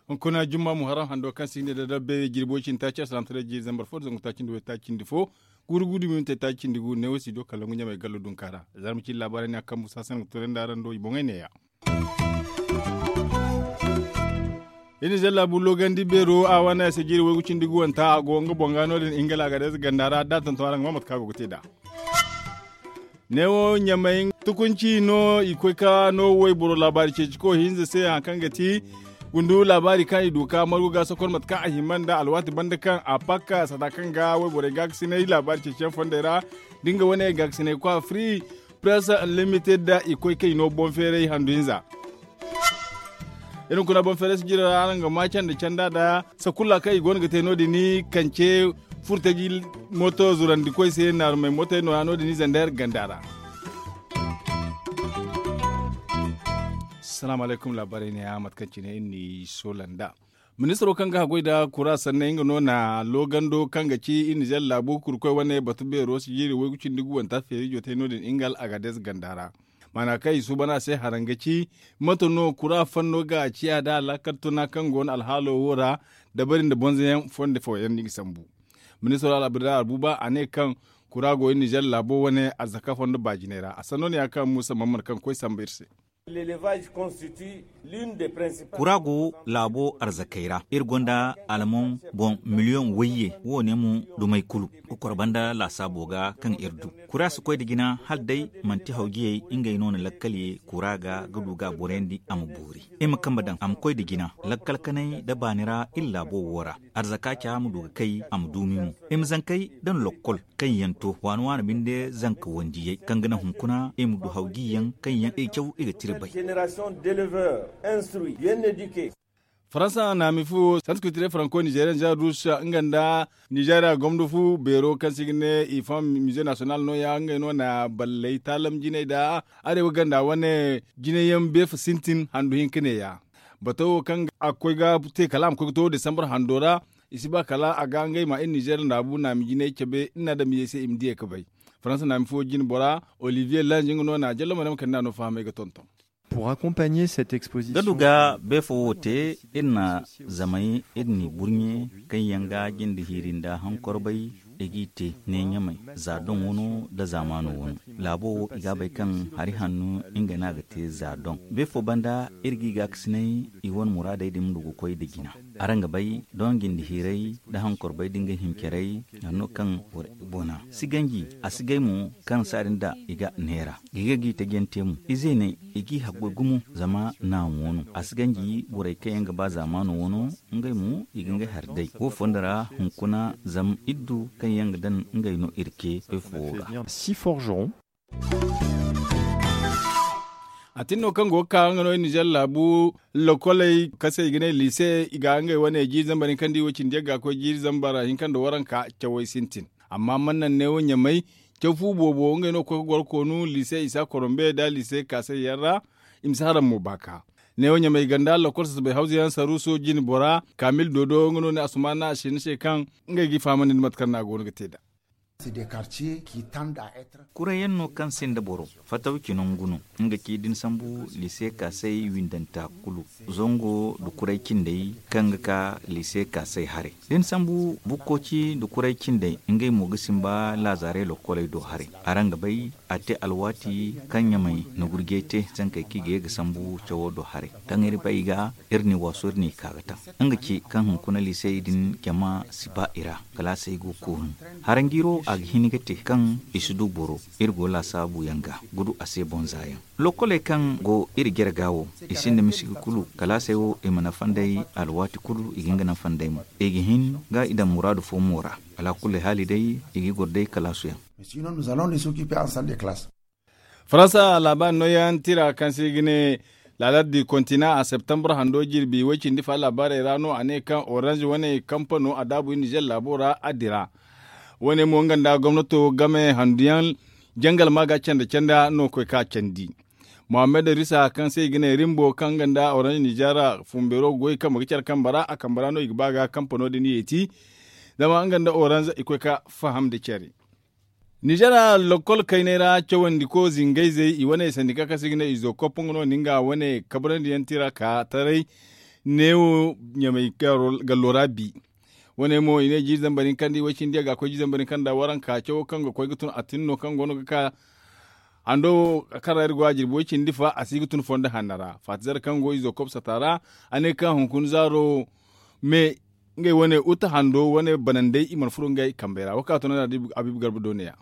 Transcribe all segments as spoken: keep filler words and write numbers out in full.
Hunkuna jumma muharram hando kaŋ si ne da dabbe jirbo cindi taaci asalantaray jiiri zambar fo da zangu taaci nda way taaci nda fo, guuru guuru minti taaci nda gu neewo si do kala ngu ɲamay gallo dunka ra. Zarma cindi laabaarey ne a kambu saasan ga tunandi araŋ do i boŋey neeya. Iri na zalla bu logandi beero a wane a se jiiri waygu cindi guwanta a go nga boŋ ga no- din ingila ga day ganda ra da a tonton araŋ ga ma mate kaŋ a go ga te nd'a. Neewo ɲamay tukunci no i koy ka no wayboro laabaari ceeci ko hinza se hari kaŋ ga ti gundu laabaari kaŋ i du ka margu ga sokor mate kaŋ a hima nda alwaati banda kaŋ a pakka sata kaŋ ga wayborey gaakasinay laabaari ceeciyaŋ fondey ra da nga wane gaakasinay kwa free press unlimited da i koy kaŋ i no boŋ feeray handu hinza. Irin kuna boŋ feeray si jira ra araŋ ga ma canda canda da sakulla kaŋ i go no ga te no- din kance furtaji mooto zurandi koy se naarumey mootey no- ya no- din zandar ganda ra. Salaamu alaykum laabaarey ne ya mate kaŋ cine iri n'i soola nd'a. Ministiro kaŋ ga haggoy nda kura sanney nga no na loogando kaŋ ga ci iri nizer laabu kurkoy wane batu beero si jiiri waygu cindi guwanta feeri jootay no- din nga al'agadez ganda ra. Maana kaŋ i suuban a se haraŋ ga ci mate no kura fanno ga a ciya nda alaakal tuna kaŋ go no alhaalo wo ra dabari nda bonzoyaŋ fondo fooyaŋ no i ga sambu. Ministiro al'abdullah albuba a ne kaŋ kura go iri nizer laabo wane arzaka fondo baajinay ra a sanno no ya kaŋ muusa mamman kaŋ koy samba iri se. Kura go laabo arzakey ra iri gonda alman boŋ miliyoŋ wayye wo- ne mo dumey kulu kokor banda laasaabo ga kaŋ iri du. Kura si koy nda jina hala day manti hawjiyey ngey no na lakkal ye kura ga ga du ga a borayandi a ma boori. Iri ma kambe daŋ a ma koy nda jina lakkal kanay nda baani ra iri laabo wo ra arzaka ca ma du ga kay a ma duumi mo. Iri ma zankey daŋ lokkol kaŋ yaŋ to waani waani binde zanka wandiyey kaŋ ga naŋ hunkuna i ma du hawjiyaŋ kaŋ yaŋ i caw i ga tira bay. Faransa naami fu santi kultire faranko nizeriyan za rusa nga nda nizeriya gomdo fu beero kaŋ se i ga ne i fam mize nasiyonal no- ya ngey no na balley taalam jinay nda arewa ganda wane jinay yaŋ beefa sintin handu hinka ne- ya. Bato wo kaŋ a ga koy ga te kala a ma koy ga to desambar hando ra i si ba kala a ga ngey ma iri nizer naabu naami jinay cabe iri na adamizey se i ma diyey ga bay. Faransa naami fo jine bora olivier lange nga no na jallo ma ne ma kande a no fahamay ga tonton. Pour accompagner cette exposition. Ga du ga beefo wo te iri na zamey iri n'i burɲe kaŋ yaŋ ga jinde hiiri nda hankorbay i g'i te neeɲamey za doŋ wano nda zaamaano wano. Laabo wo i ga a bay kaŋ hari hanno nga no a ga te za doŋ. Beefo banda iri g'i gaakasinay i wane muraadey din ma du ga koy nda jina. Araŋ ga bay doŋ jinde hiirey nda hankorbay da nga hincarey hari no kaŋ boro i bona si ganji a si gay mo kaŋ saadin da i ga neera. Ga i ga g'i taji yaŋ te mo izey ne i g'i haggoy gumo zama naamu wano a si ganji borey kaŋ yaŋ ga ba zaamaano wano. Ngey mo i ga ngey hari day wo fondo ra hunkuna zama iri du kaŋ yaŋ ga daŋ ngey no iri ce. Beefo wo ga. A tin no kaŋ go ga ka nga no iri nizer laabu lokoley kaŋ se i ga ne liise i ga ngey wane jiiri zambar hinka nda i wo cindi yagga koy jiiri zambar hinka nda waranka cawey sintin. Amma man naŋ neewo ɲamay caw fu boobo ngey no ga koy ga goro koonu liise isa korombe nda liise kaasay yaŋ ra. I ma si haram mo baaka neewo ɲamay ganda lokol sasabay hawza yaŋ saruuso jine bora kaamil doodo nga no ne asumaana a se ni se kaŋ ngey g'i fahamandi nda mate kaŋ no a go no ga te nd'a. Kurayaŋ no kaŋ sinda boro fataw ci nangu no nga ci da ni sambu liise kaasay windanta kulu zango nda kuray cindey kaŋ ga ka liise kaasay haray da ni sambu bukkoci nda kuray cindey ngey mo ga simba laazaaray lokoley do haray. Araŋ ga bay a te alwaati kaŋ ɲamay na gurjey te zankey kaŋ i ga ye ga sambu cawo do haray kaŋ iri bay ga iri n'i waasu iri n'i ka ga taŋ. Nga ci kaŋ hunkuna liisey din jama si ba i ra kalaasey go ga koonu. Haranjiiro a ga hin ga te kaŋ i si du boro iri go laasaabu yaŋ ga ga du a se bonza yaŋ. Lokoley kaŋ go iri jare ga wo i sinda misigi kulu kalaasey wo i ma nafa nd'ey alwaati kulu i ga hin ga nafa nd'ey mo i ga hin ga i daŋ muraadu fo mo ra. Alaakulli haali day i ga goro day kalaasu yaŋ. Faransa laabaari nooyaŋ tira kaŋ se i ga ne laalardi kontina a septembre hando jirbi way cindi fa laabaarey ra no a ne kaŋ orange wane kampano a daabu iri nizer laabo ra a dira. Wane mo nga nda gomnato game handuyaŋ jangal ma ga canda canda no koy ka candi. Mohammed risa kaŋ se i ga ne rimbo kaŋ nga nda orange nizer fumbeero goy kambe ga care kambe ra a kambe ra no i ga ba ga kampano din yeeti. Zama nga nda oranz i koy ka faham nda care. Ninzeer lokol kaynay ra cawandi ko zingayzey i wane sandika kaŋ se i ga ne izo koppo nga no nga wane kabrandi yaŋ tira ka taray. Neewo ɲamay gallo ra bi. Wane mo i ne jiiri zambar hinka nda i way cindi a ga koy jiiri zambar hinka nda waranka cawo kaŋ ga koy ga tun a tin no kaŋ go no ga ka hando kaŋ ra iri go a jirbi way cindi fa a si ga tun fondo hanno ra faati zare kaŋ go izo kopsata ra. A ne kaŋ hunkuna zaaro me ngey wane uta hando wane banandey i mana furo ngey kambey ra wo kaŋ a tun a ne abiibu garba do ne ya.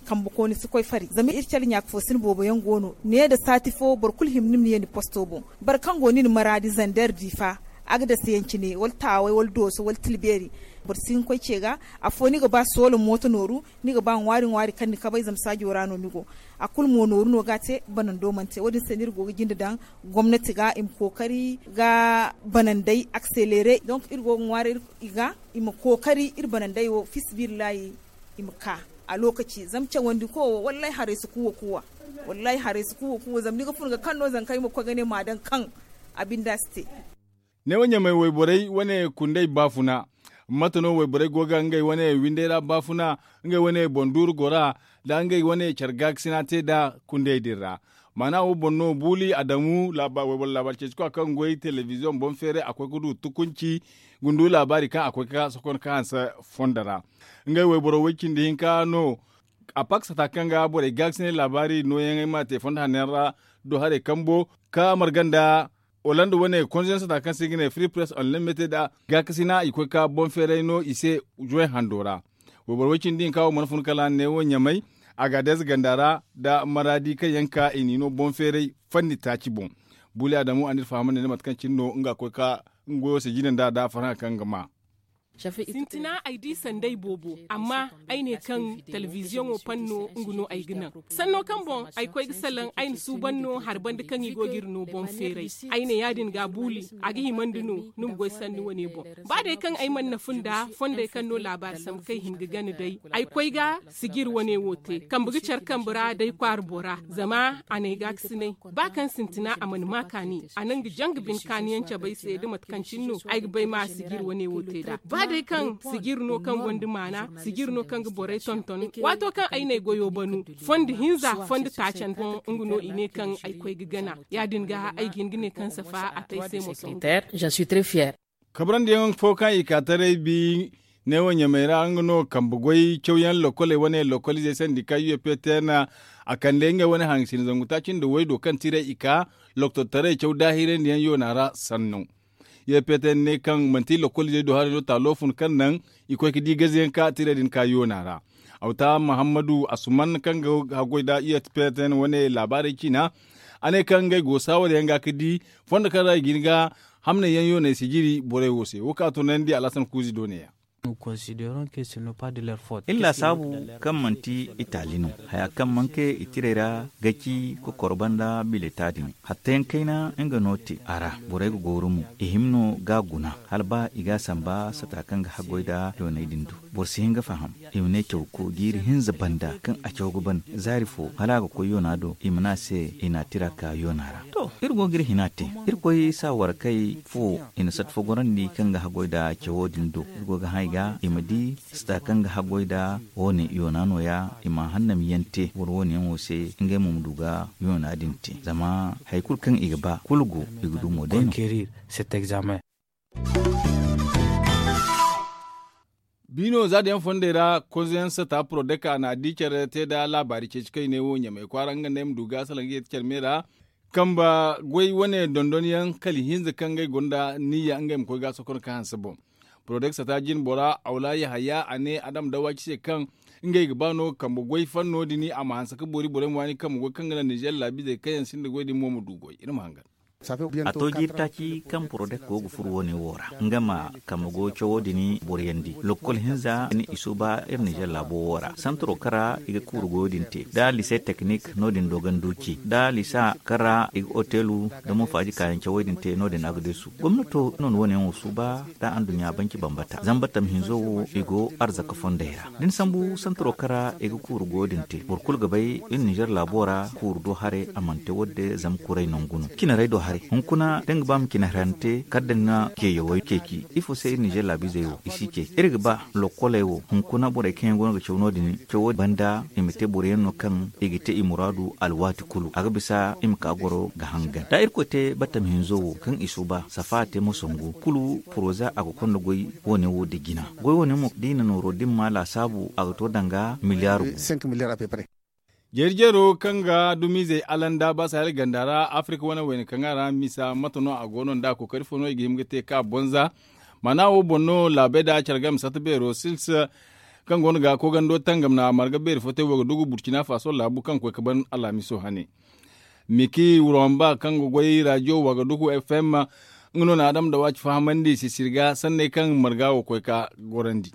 Kambe kooni si koy fari zama iri care ɲaaka fo si ni boobo yaŋ go no ne nda saati fo boro kulu hima ni ma ye ni posto boŋ. Boro kaŋ go ni na maraadi zander diifa, agdasa yaŋ cine wala taaway wala dooso wala tilbeeri. Boro si hin koy ce ga afo ni ga ba soola mooto nooru, ni ga ba ŋwaari ŋwaari kaŋ ni kabay zama saajo ra no ni go. A kulu mo nooru no ga a te banando mana te wo- din se no iri go ga jinde daŋ gomnati ga i ma kookari ga banandey akselere donk iri go ga ŋwaaray i ga i ma kookari iri banandey wo fisabillahi. I ma ka a lookaci zama cawandi ko wo wallaahi haray si kuuwa kuuwa. Wallaahi haray si kuuwa kuuwa zama ni ga fun ga kaŋ no zankey ma koy ga ne ma a daŋ kaŋ a binda si te. Neewo ɲamay wayborey wane kundey baafuna. Mate no wayborey go ga ngey wane windey ra baafuna ngey wane boŋ duuru gora nda ngey wane care gaakasina te nda kundey din ra. Maana wo boŋ no buuli adamu wayboro laabaari ceeci kwa kaŋ goy telebiziyoŋ boŋ feeray a koy ga du tukunci. Gundu laabaari kaŋ a koy ga sokon ka hanse fondo ra. Ngey wayboro way cindi hinka no. A paksata kaŋ ga borey gaakasinay laabaari nooyaŋey ma te fondo hanno yaŋ ra do haray kambo ka marga nda holanda wane konzensata kaŋ se i ga ne firi press online mete nda gaakasina i koy ka boŋ feeray no i se. Juway hando ra wayboro way cindi hinka wo mana fun kala neewo ɲamay. Agadeez ganda ra nda maraadi kaŋ yaŋ ka i n'i no boŋ feeray fanni taaci boŋ. Buuli adamu a n'iri fahamandi nda mate kaŋ cine no nga koy ka nga goyo se jine nda nda farhã kaŋ ga ma. Sintina ay di sanday boobo amma ay ne kaŋ telebiziyoŋo panno nga no ay ga naŋ. Sanno kaŋ boŋ ay koy ga salaŋ ay na suuban no hari banda kaŋ i go ga iri no boŋ feeray. Ay ne ya- din ga buuli a ga himandi no ni ma goy sanni wane boŋ. Ba day kaŋ ay mana na fun nda fondey kaŋ no laabaari sambu kaŋ i hin ga gana day ay koy ga sijir wane wo te kambe ga care kambe ra day kwaara bora zama a na ay gaakasinay. Ba kaŋ sintina a mana ma kaani a na nga janga bine kaaniyaŋ cabe ay se da mate kaŋ cine no ay ga bay ma sijir wane wo te nd'a ba day kaŋ sijir no kaŋ gonda maana sijir no kaŋ ga borey tonton. Waato kaŋ ay na ay goyo banu fondo hinza fondo taacan boŋ nga no i ne kaŋ ay koy ga gana ya- din ga ay ga hin ga ne kaŋ safa a te ay se mo tongo. Kabrandi yaŋ fo kaŋ i ka taray bi neewo ɲamay ra nga no kambe goy cawyaŋ lokoley wane lokoliizey sandi ka u f p t n. A kande ngey wane hangasina zangu taaci nda waydo kaŋ tiray i ka loktor taray caw daahirandi yaŋ yoona ra sannu. U f p t n ne kaŋ manti lokoliizey do haray no taalo fun kaŋ naŋ i koy ga di gaze yaŋ ka tiray din ka yoona ra. Awta mahammadu asuman kaŋ ga haggoy nda u f p t n wane laabaarey ciina. A ne kaŋ ngey go saawar yaŋ ga ga di fondo kaŋ ra i ga hin ga hamney yaŋ yooney sijiri borey wo se wo kaŋ a tunandi alhasan kuuzi do ne- ya. Iri laasaabu kaŋ manti itaali no haya kaŋ manke i tirey ra ga ci kokoro banda bileta din hatta yaŋ kayna nga no te a ra. Borey ga gooru mo i hima no ga guna hala ba i ga a samba sata kaŋ ga haggoy nda yooney din do. Boro si hin ga faham i ma ne caw ko jiiri hinza banda kaŋ a caw ga ban zaari fo hala a ga koy yoona do i ma ne a se i na a tira ka yoona ra. To iri go ga iri hina te irkoy saawarkey fo i na sata fo gorandi kaŋ ga haggoy nda cawo din do. Iri go ga hã i ga i ma di sata kaŋ ga haggoy nda wo- ne yoona no- ya i ma hannamiyaŋ te boro wo- ne yaŋo se ngey mo ma du ga yoona din te zama hari kulu kaŋ i ga ba kulu go i ga du mo day no. Biino za da yaŋ fondey ra konzo yaŋ sata porodeka na di care te nda laabaari ceeci kaŋ i ne wo ɲamay kwaara nga nda ay ma du ga salaŋ ga ye ti care me ra. Kamba goy wane dondon yaŋ kala ihinza kaŋ ngey gonda niyya ngey ma koy ga sokon ka hanse boŋ. Porodeka sata jine bora awla yahaya a ne adam dawaci se kaŋ ngey ga ba no kamba goy fanno din a ma hanse ka boori borey ma waani kamba goy kaŋ ga naŋ nizer laabizey kaŋ yaŋ sinda goy din mo ma du goy iri ma hangan. A to jiiri taaci kaŋ porodek go ga furo wo- ne wo ra nga ma kambe go cawo din boroyandi lokkol hinza ni i suuba iri nizer laabo wo ra santaro kaŋ ra i ga kuuru goyo din te nda lise teknik no- din doganduci nda lisa kaŋ ra i ga otelu nda mo faaji kaayaŋ cawey din te no- din agdesu gomnato no- ni wo- ne wo suuba nda anduɲɲa banci bambata zamba tam hinzo wo i go arzaka fondey ra da ni sambu santaro kaŋ ra i ga kuuru goyo din te boro kulu ga bay iri nizer laabo ra kuuru do haray a mana te wadde zama kuray nangu no cinarey do. Haray hunkuna da nga ba ma cine harante kala da nga ceeyawey ceeci. Ifo se iri ninzeer laabiizey wo i si ceeci iri ga ba lokkoley wo hunkuna borey kaŋ yaŋ go no ga caw no- din cawo banda i ma te boro yaŋ no kaŋ i ga te i muraadu alwaati kulu a ga bisa i ma ka goro ga hangan da irkoy te battam hinzo wo kaŋ i suuba safa a te mo sangu kulu poroza a ga konda goy. Wo- ne wo da jina goy wo- ne mo da i na nooro da i ma ma laasaabu a ga to danga miliyaar gu. Jeeri jeero kaŋ ga dumiizey alanda ba sahel ganda ra afirka wane wayna kaŋ a ra misa mate no a go no nda a kookari fo no i ga hima ga te ka bonza. Maana wo boŋ no laabey da care game satta beero sils kaŋ go no ga koogando tangam na marga beeri fo te wo ga dugu burcina faso laabu kaŋ koy ga ban alhamiso hane. Miki romba kaŋ ga goy rajiyo wagaduku fm nga no na adama da waaci fahamandi sisiri ga sanney kaŋ marga wo koy ga gorandi.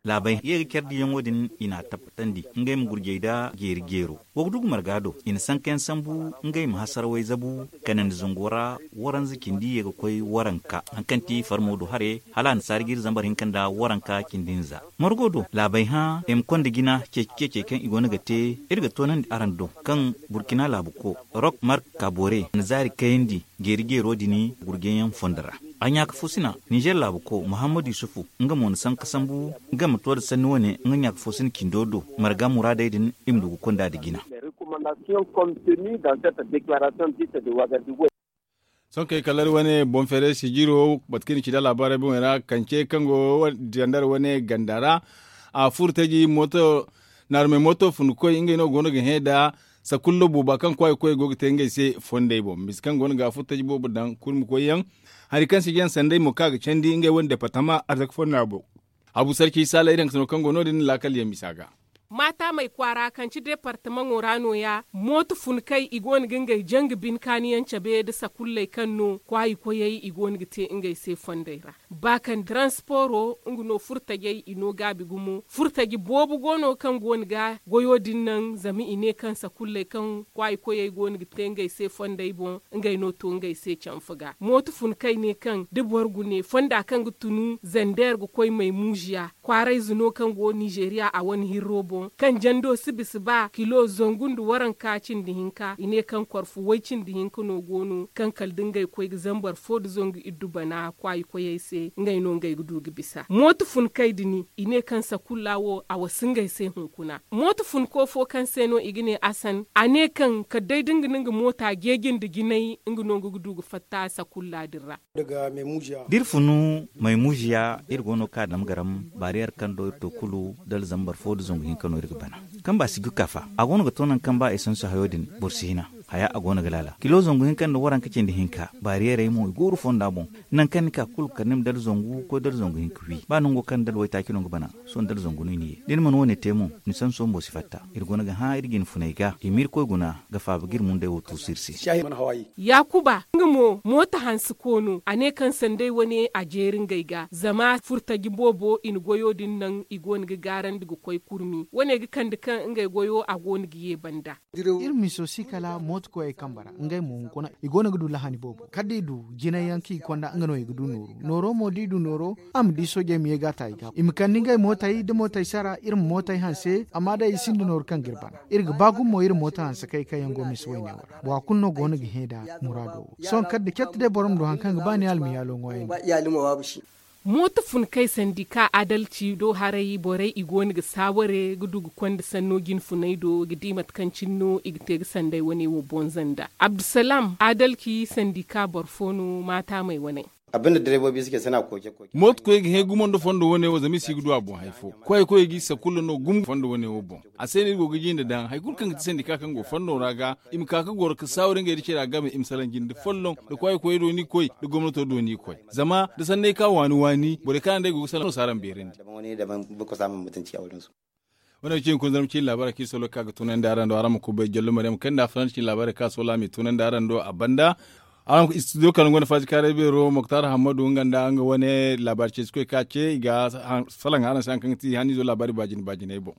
Laabey ye ga care diyaŋo din i n'a tabbatandi ngey ma gurjey da jeeri jeero. Wa ga du ga marga do i na sankayaŋ sambu ngey ma hasarawey zabu kanandi zango ra. Waranza cindi ye ga koy waranka hari kaŋ ti farmo do hare hala annasaari ga iri zambar hinka nda waranka cindi hinza. Margo do laabey hã i ma konda jina ceeci ceecey kaŋ i go no ga te. Iri ga toonandi araŋ do kaŋ burkina laabu ko rok mark kabore na zaari kayandi jeeri jeero din gurjeyaŋ fondo ra. A ɲaaka fo sina ninzeer laabu ko muhammad yusufu nga mo na sanka sambu nga ma to nda sanni wane nga ɲaaka fo sina cindo do marga muraadey din i ma du ga konda nda jina. Sohõ kay kala iri wane boŋ feeray sijiro batu kaŋ i na ci nda laabaarey boŋey ra kance kaŋ go zandar wane ganda ra. A furo taji mooto naarumey mooto funkoy ngey no go no ga hẽ nda sakullo booba kaŋ kwaayi koyey go ga te ngey se fondey boŋ misa kaŋ go no ga a furo taji boobo daŋ kurmi koyyaŋ. Hari kaŋ si jaŋ sanday mo kaŋ a ga candi ngey wane departama arzaka fonda boŋ. Habu sarci saalay daŋ sano kaŋ go no- din laakal yaŋ misa ga. Maataamey kwaara kaŋ ci departamaŋo ra nooya mooto funkey i go no ga ngey jangu bine kaaniyaŋ cabe nda sakulley kaŋ no kwaayi koyey i go no ga te ngey se fondey ra. Ba kaŋ transporo nga no furtajey i no gaabi gumo furtaji boobo go no kaŋ go no ga goyo din naŋ zama i ne kaŋ sakulley kaŋ kwaayi koyey go no ga te ngey se fondey boŋ ngey no to ngey se canfa ga mooto funkey ne kaŋ da boro gune fonda kaŋ ga tunu zander ga koy maymuziya kwaarayze no kaŋ go ninzeeriya a wane hirro boŋ kaŋ jando si bisa ba kilo zangu nda waranka cindi hinka i ne kaŋ korfu way cindi hinka no go no kaŋ kala da ngey koy ga zambar fo nda zangu iddu bana kwaayi koyey se ngey no ngey ga du ga bisa mooto funkey din i ne kaŋ sakulla wo a wasa ngey se hunkuna mooto funko fo kaŋ se no i ga ne asan a ne kaŋ kala day da nga na nga moota jeeji nda jinay nga no nga ga du ga fatta sakulla din ra. Da iri funu maymuziya iri go no ga ka dama garam baariyeer kaŋ do iri to kulu dala zambar fo nda zangu hinka no iri ga bana. Kaŋ ba si ga ka fa a go no ga to nangu kaŋ ba esansu hayo din boro si hina haya a go no ga laala kilo zangu hinka nda waranka cindi hinka baariyeerey mo i go iri fonda boŋ. Nangu kaŋ ni ka kulu kala ni ma dala zangu koy dala zangu hinka wi ba nango kaŋ ni dala waytaaci no ga bana. Sohõ dala zangu no i na ye da ni mana wo- ne te mo ni sanso bumbo si fatta. Iri go no ga hã iri jine funey ga i ma iri koy guna ga faaba ga iri mundey wo tuusu iri se. Yaakuba nga mo mooto hanse koono a ne kaŋ sanday wane a jeeri ngey ga zama furtaji boobo i na goyo din naŋ i go no ga gaarandi ga koy kurmi wane ga kande kaŋ ngey goyo a go no ga ye banda. Iri miso si kala mooto koyey kambe ra ngey mo hunkuna i go no ga du lahani boobo kala da i du jinay yaŋ kaŋ i konda nga no i ga du nooru nooro mo da i du nooro a ma di soojey ma ye ga a ta i ga i ma kande ngey mootey da mootey sara iri ma mootey hanse amma day i sinda nooru kaŋ ga iri bana. Iri ga ba gumo iri mooto hanse kay kaŋ yaŋ go misa wayne wo ra bora kulu no go no ga hẽ nda muraado wo sohõ kala da catti day boro ma du hari kaŋ ga ba ni almiyaalo ŋwaayan. Mooto fun kay sandika adalci do haray borey i go no ga saaware ga du ga konda sanno jine funey do ga di mate kaŋ cine no i ga te ga sanday wane wo bonza nda abdusalam adalci sandika boro fo no maataamey wane. Mooto koy ga hẽ gumo nda fondo wane wo zama i si ga du a boŋ hari fo. Koy koy ga i sakulla no gumo fondo wane wo boŋ. A se no iri go ga jinde daŋ hari kulu kaŋ ga ti sandika kaŋ go fondo ra ga i ma ka ga goro ga saaware ngey da care a game i ma salaŋ jinde folloŋ da kwaayi koyey do no i koy da gomnato do no i koy. Zama da sanney ka waani waani borey kaŋ araŋ day go ga salaŋ no si araŋ beerandi. Wane ga ci hunkuna zarma ciine laabaarey kaŋ iri solo ga ka ga tunandi araŋ do araŋ ma kubay jallo maryam kay nda faransa ciine laabaarey kaŋ a solo a m'i tunandi araŋ do a banda. Araŋ studio kaŋ gonda faazikaaray beero moktar hammadu nga nda nga wane laabaari ceesikoy kaŋ a ce i ga salaŋ araŋ se hari kaŋ ga ti hanniizo laabaari baajine baajiney boŋ.